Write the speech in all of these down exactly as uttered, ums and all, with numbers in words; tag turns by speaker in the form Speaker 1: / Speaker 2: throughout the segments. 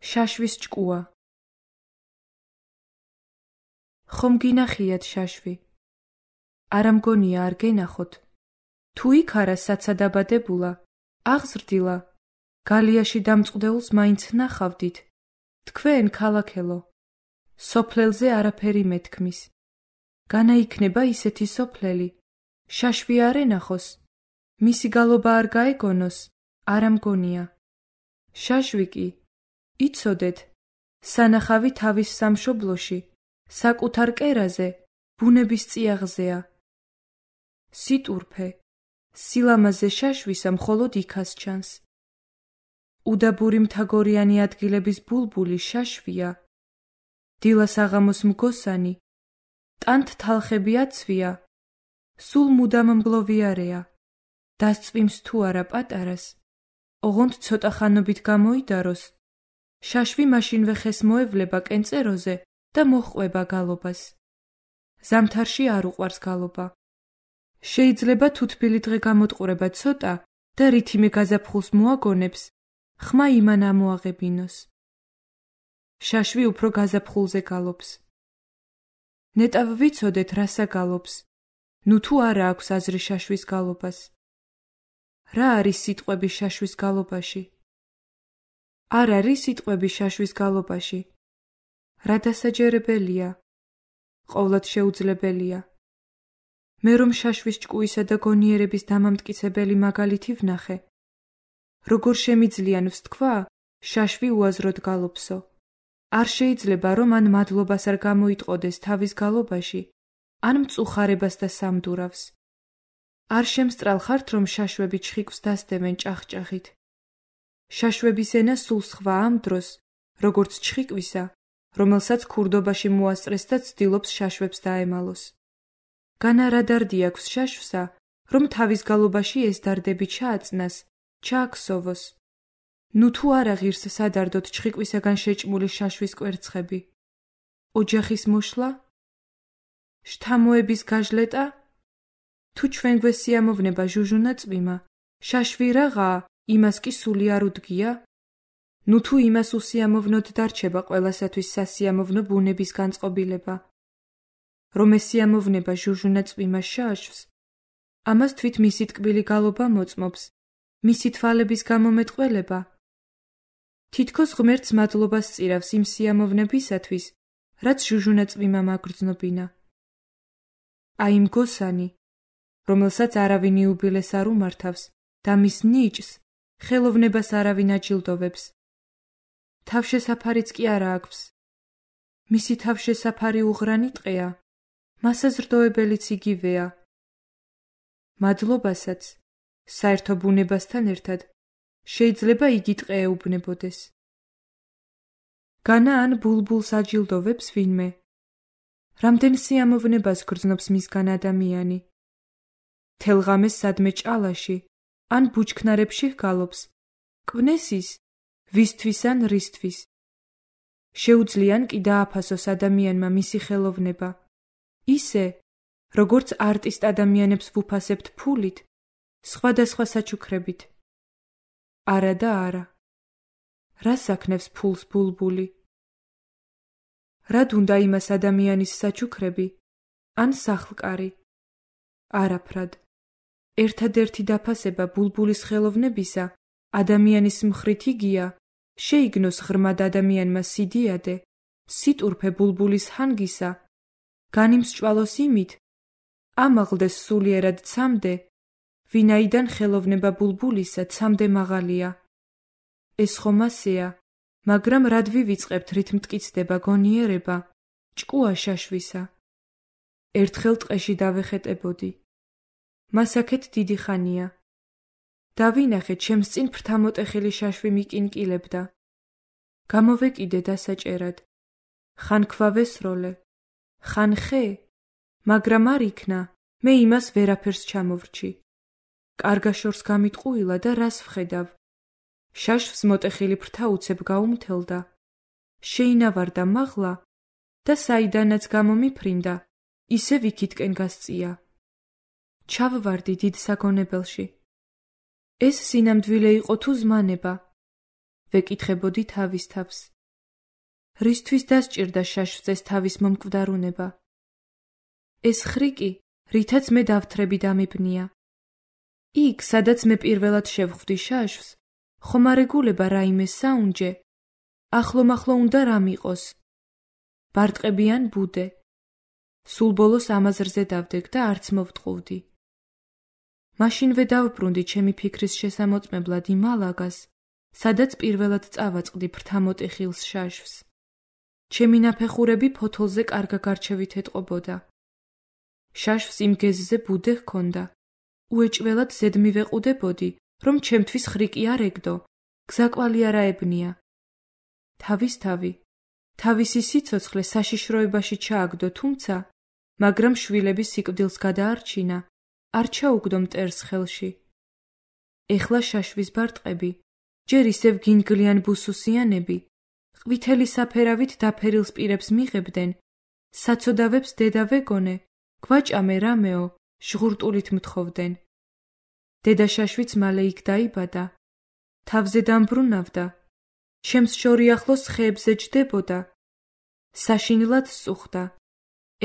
Speaker 1: შაშვის ჭკუა. ხომ გინახიათ შაშვი? არა მგონია არ გენახოთ. თუ იქ არა საცადაბადებულა, აღზრდილა, გალიაში დამწყდეულს მაინც ნახავდით. თქვენ ქალაქელო, სოფლელზე არაფერი მეთქმის. განაიქნება ისეთი სოფლელი, შაშვი არ ენახოს, მისი გალობა არ გაეგონოს, არა მგონია. შაშვი კი, იცოდეთ, სანახავი თავის სამშობლოში, საკუთარ კერაზე, ბუნების წიაღზეა. სიტურფე, სილამაზე შაშვისა მხოლოდ იქას ჩანს. უდაბური მთაგორიანი ადგილების ბულბული შაშვია. დილას აღამოს მგოსანი, ტანთ თალხები აცვია, სულ მუდამ მგლოვიარეა. დასწვიმს თუ არა პატარას, ოღონდ ცოტა ხანობით გამოიდაროს, შაშვი მაშინვე ხეს მოევლება კენწეროზე და მოჰყვება გალობას. ზამთარში არ უყვარს გალობა. შეიძლება თუ თბილი დღე გამოტყურება ცოტა და რითიმე გაზაფხულს მოაგონებს, ხმა იმან ამოაღებინოს. შაშვი უფრო გაზაფხულზე გალობს. ნეტავ ვიცოდეთ რასა გალობს, ნუ თუ არა აქვს აზრი შაშვის გალობას. რა არის სიტყვები შაშვის გალობაში? არ არის სიტყვები შაშვის გალობაში. რა დასაჯერებელია, ყოვლად შეუძლებელია. მე რომ შაშვის ჭკუისა და გონიერების დამამტკიცებელი მაგალითი ვნახე. როგორ შემიძლიან ვსთქვა, შაშვი უაზროდ გალობსო. არ შეიძლება რომ ან მადლობას არ გამოიტყოდეს თავის გალობაში, ან მწუხარებას და სამდურავს. არ შემსტრალხართ რომ შაშვები ჩხიკვს დასდევენ ჭახჭახით. შაშვების ენა სულ სხვა ამ დროს, როგორც ჩხიკვისა, რომელსაც ქურდობაში მოასწრეს და ცდილობს შაშვებს დაემალოს. განა რა დარდი აქვს შაშვსა, რომ თავის გალობაში ეს დარდები ჩააწნას, ჩააქსოვოს. ნუ თუ არა ღირს სადარდოთ ჩხიკვისაგან შეჭმული შაშვის კვერცხები. ოჯახის მოშლა? შთამოების გაჟლეტა? თუ ჩვენ გვესიამოვნება ჟუჟუნა წვიმა, შაშვი რაღაცა, იმას კი სული არ უდგია? ნუ თუ იმას უსიამოვნოდ დარჩება ყველასათვის სასიამოვნო ბუნების განწყობილება. რომ ესიამოვნება ჟუჟუნა წვიმა შაშვს, ამას თვით მისი ტკბილი გალობა მოწმობს, მისი თვალების გამომეტყველება. თითქოს ღმერთს მადლობას წირავს იმ სიამოვნებისათვის, რაც ჟუჟუნა წვიმა მაგრძნობინა. აი მგოსანი, რომელსაც არავინ იუბილეს არ უმართავს და მის ნიჭს, ხელოვნებას არავინ აჯილდოვებს. თავშესაფარიც კი არა აქვს. მისი თავშესაფარი უღრანი ტყეა, მასაზრდოებელიც იგივეა. მადლობასაც, საერთო ბუნებასთან ერთად, შეიძლება იგი ტყე ეუბნებოდეს. განა ან ბულბულს აჯილდოვებს ვინმე. რამდენ სიამოვნებას გრძნობს მისგან ადამიანი. თელღამეს სადმე ჭალაში, ან ბუჩქნარებში ჰგალობს, კვნესის, ვისთვის ან რისთვის. შეუძლიან კი დააფასოს ადამიანმა მისი ხელოვნება. ისე, როგორც არტისტ ადამიანებს ვუფასებთ ფულით, სხვადასხვა საჩუქრებით. არა და არა. რას აქნევს ფულს ბულბული? რად უნდა იმას ადამიანის საჩუქრები, ან სახლკარი? არაფრად. ერთადერთი დაფასება ბულბულის ხელოვნებისა, ადამიანის მხრით იგია, შეიგნოს ღრმად ადამიანმა სიდიადე, სიტურფე ბულბულის ჰანგისა, განიმსჭვალოს იმით, ამაღლდეს სულიერად ცამდე, ვინაიდან ხელოვნება ბულბულისა ცამდე მაღალია. ეს ხომ ასეა, მაგრამ რად ვივიწყებთ რით მტკიცდება გონიერება, ჭკუა შაშვისა. ერთხელ ტყეში დავეხეტებოდი. მას აქეთ დიდი ხანია. დავინახე ჩემს წინ ფრთამოტეხილი შაშვი მიკინკილებდა. გამოვეკიდე დასაჭერად. ხან ქვა ვესროლე, ხან ხე, მაგრამ არ იქნა, მე იმას ვერაფერს ჩამოვრჩი. კარგა შორს გამიტყუილა და რას ვხედავ. შაშვს მოტეხილი ფრთა უცებ გაუმთელდა. შეინავარდა მაღლა და საიდანაც გამომიფრინდა, ისევ იქითკენ გასწია. ჩავვარდი დიდ საგონებელში. ეს სინამდვილე იყო თუ ზმანება? ვეკითხებოდი თავის თავს. რისთვის დასჭირდა შაშვწეს თავის მომკვდარუნება? ეს ხრიკი, რითაც მე დავთრები დამიბნია. იქ, სადაც მე პირველად შევხვდი შაშვს, ხომ არ ეგულება რაიმე საუნჯე? ახლომახლო უნდა რამ იყოს? ბარტყები ან ბუდე? სულ ბოლოს ამაზრზე დავდექ და არც მოვტყუვდი. მაშინვე დავბრუნდი ჩემი ფიქრის შესამოწმებლად იმ ალაგას, სადაც პირველად წავაწყდი ფრთამოტეხილს შაშვს. ჩემი ნაფეხურები ფოთოლზე კარგა გარჩევით ეტყობოდა. შაშვს იმ გეზზე ბუდე ჰქონდა. უეჭველად ზედ მივეყუდებოდი, რომ ჩემთვის ხრიკი არ ეგდო, გზაკვალი არ აებნია. თავისთავი, თავისი სიცოცხლე საშიშროებაში ჩააგდო, თუმცა, მაგრამ შვილების სიკვდილს გადაარჩინა, არ ჩაუგდო მტერს ხელში. ეხლა შაშვის ბარტყები, ჯერ ისევ გინგლიან ბუსუსიანები, ყვითელი საფერავით დაფერილს პირებს მიღებდნენ, საცოდავებს დედა ვეგონე, გვაჭამე რამეო, ჟღურტულით მთხოვდნენ. დედა შაშვიც მალე იქ დაიბადა, თავზე დამბრუნავდა, ჩემს შორი ახლოს ხეებზე ჯდებოდა, საშინლად სწუხდა,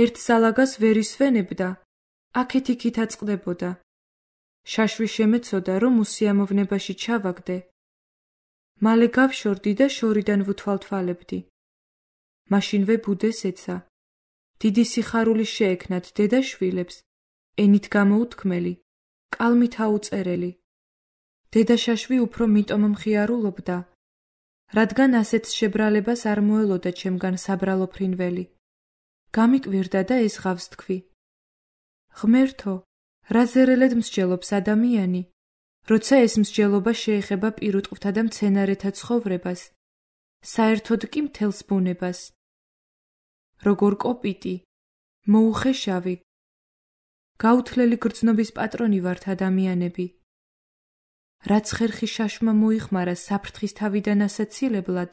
Speaker 1: ერთ სალაგას ვერ ისვენებდა, აქეთ-იქით აწყდებოდა. შაშვი შემეცოდა, რომ უსიამოვნებაში ჩავაგდე. მალე გავშორდი და შორიდან ვუთვალთვალებდი. მაშინვე ბუდეს ეცა. დიდი სიხარული შეექნათ დედა შვილებს, ენით გამოუთქმელი, კალმით აუწერელი. დედა შაშვი უფრო მიტომ მხიარულობდა, რადგან ასეთ შებრალებას არ მოელოდა ჩემგან საბრალო ფრინველი. გამიკვირდა და ეზღავს თქვი. ღმერთო, რა ზერელედ მსჯელობს ადამიანი, როცა ეს მსჯელობა შეეხება პირუტყვთა და მცენარეთა ცხოვრებას, საერთოდ კი მთელს ბუნებას. როგორ კოპიტი, მოუხეშავი, გაუთლელი გრძნობის პატრონი ვართ ადამიანები. რაც ხერხი შაშმა მოიხმარა საფრთხის თავიდან ასაცილებლად,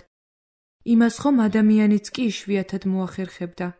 Speaker 1: იმას ხომ ადამიანიც კი იშვიათად მოახერხებდა.